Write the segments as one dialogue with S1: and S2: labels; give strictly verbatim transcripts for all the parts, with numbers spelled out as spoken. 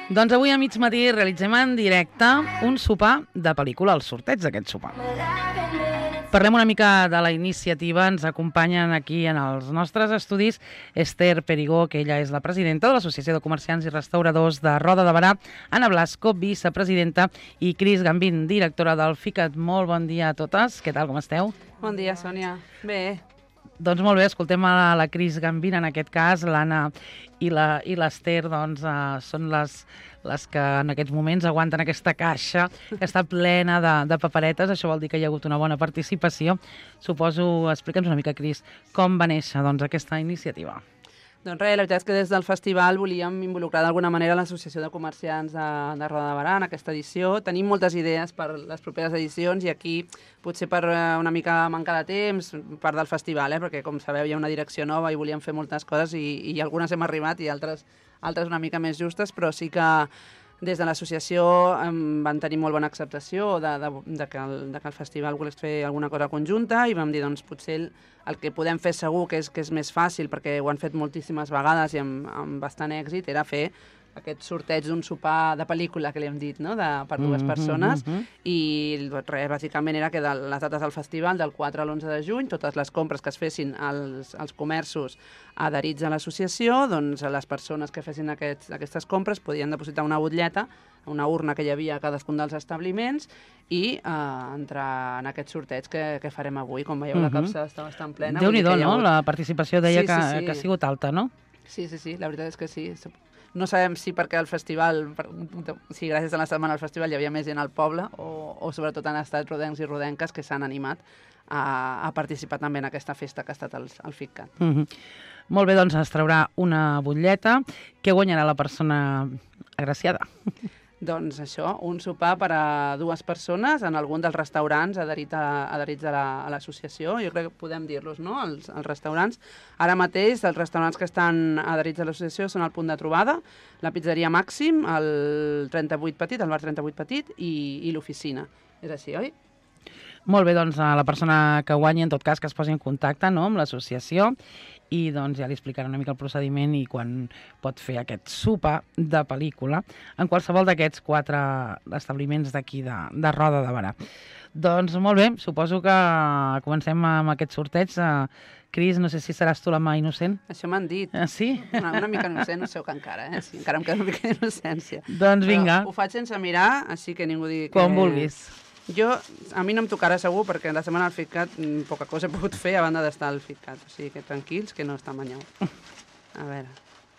S1: Doncs avui a mig matí realitzem en directe un sopar de pel·lícula, el sorteig d'aquest sopar. Parlem una mica de la iniciativa. Ens acompanyen aquí en els nostres estudis Esther Perigó, que ella és la presidenta de l'Associació de Comerciants i Restauradors de Roda de Berà, Anna Blasco, vicepresidenta, i Cris Gambín, directora del FICAT. Molt bon dia a totes. Què tal, com esteu?
S2: Bon dia, Sònia. Bé.
S1: Doncs molt bé, escoltem a la Cris Gambín, en aquest cas. L'Anna i l'Esther doncs, uh, són les, les que en aquests moments aguanten aquesta caixa que està plena de, de paperetes. Això vol dir que hi ha hagut una bona participació. Suposo, explica'ns una mica, Cris, com va néixer doncs, aquesta iniciativa.
S2: Doncs res, la veritat és que des del festival volíem involucrar d'alguna manera l'Associació de Comerciants de, de Roda de Berà en aquesta edició. Tenim moltes idees per les properes edicions i aquí, potser per una mica manca de temps, part del festival, eh? Perquè com sabeu hi ha una direcció nova i volíem fer moltes coses i, i algunes hem arribat i altres, altres una mica més justes, però sí que des de l'associació em van tenir molt bona acceptació de, de, de, que el, de que el festival volés fer alguna cosa conjunta i vam dir, doncs, potser el, el que podem fer segur que és, que és més fàcil, perquè ho han fet moltíssimes vegades i amb, amb bastant èxit, era fer aquest sorteig d'un sopar de pel·lícula, que li hem dit, no? de, per dues mm-hmm, persones, mm-hmm. I res, bàsicament era que de les dates del festival, del quatre a l'onze de juny, totes les compres que es fessin als, als comerços adherits a l'associació, doncs les persones que fessin aquests, aquestes compres podien depositar una butlleta, una urna que hi havia a cadascun dels establiments i eh, entrar en aquest sorteig que, que farem avui. Com veieu, mm-hmm. la capsa està bastant plena.
S1: Déu-n'hi-do, no? La participació deia
S2: sí, sí, sí.
S1: Que, que ha sigut alta, no?
S2: Sí, sí, sí, la veritat és que sí. No sabem si perquè el festival, si gràcies a la setmana al festival hi havia més gent al poble o, o sobretot han estat rodencs i rodenques que s'han animat a, a participar també en aquesta festa que ha estat el, el FICAT.
S1: Mm-hmm. Molt bé, doncs es traurà una butlleta. Què guanyarà la persona agraciada?
S2: Doncs això, un sopar per a dues persones en algun dels restaurants adherit a, adherits a l'associació. Jo crec que podem dir-los, no?, els, els restaurants. Ara mateix, els restaurants que estan adherits a l'associació són el Punt de Trobada, la Pizzeria Màxim, el trenta-vuit Petit, el bar trenta-vuit Petit i, i l'oficina. És així, oi?
S1: Molt bé, doncs la persona que guanyi, en tot cas, que es posi en contacte, no?, amb l'associació i doncs ja li explicarà una mica el procediment i quan pot fer aquest sopar de pel·lícula en qualsevol d'aquests quatre establiments d'aquí de, de Roda de Berà. Doncs molt bé, suposo que comencem amb aquest sorteig. Cris, no sé si seràs tu la mà innocent.
S2: Això m'han dit.
S1: Ah, sí?
S2: Una, una mica innocent, no sé que encara, eh? Sí, encara em queda una mica d'innocència.
S1: Doncs vinga.
S2: Però ho faig sense mirar, així que ningú digui que...
S1: Quan vulguis.
S2: Jo, a mi no em tocarà segur, perquè la setmana al FICAT poca cosa he pogut fer a banda d'estar al FICAT. O sigui que tranquils, que no està manyau. A veure,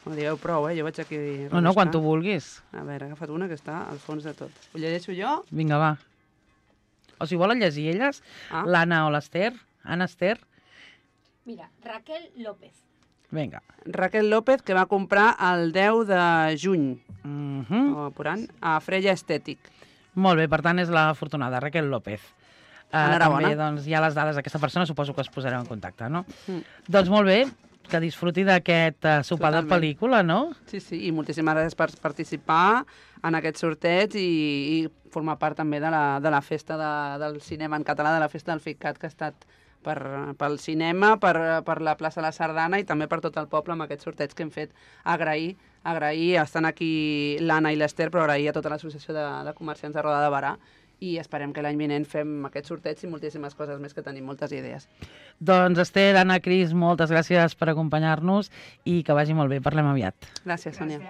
S2: no digueu prou, eh? Jo vaig aquí...
S1: No, no, quan tu vulguis.
S2: A veure, he agafat una que està al fons de tot. Ho llegeixo jo?
S1: Vinga, va. O si volen llegir elles, ah. l'Anna o l'Esther. Anna, Esther.
S3: Mira, Raquel López.
S1: Vinga.
S2: Raquel López, que va comprar el deu de juny,
S1: mm-hmm.
S2: o apurant, a Freya Estètic.
S1: Molt bé, per tant és la afortunada, Raquel López. Uh, també doncs, hi ha les dades d'aquesta persona, suposo que es posareu en contacte, no? Mm. Doncs molt bé, que disfruti d'aquest uh, sopar Totalment. De pel·lícula, no?
S2: Sí, sí, i moltíssimes gràcies per participar en aquest sorteig i, i formar part també de la, de la festa de, del cinema en català, de la festa del FICAT, que ha estat per, pel cinema, per, per la plaça de la Sardana i també per tot el poble amb aquest sorteig que hem fet. Agrair, agrair, estan aquí l'Anna i l'Esther, però agrair a tota l'associació de, de comerciants de Roda de Berà i esperem que l'any vinent fem aquest sorteig i moltíssimes coses més, que tenim moltes idees.
S1: Doncs Esther, Anna, Cris, moltes gràcies per acompanyar-nos i que vagi molt bé. Parlem aviat.
S2: Gràcies, Sònia.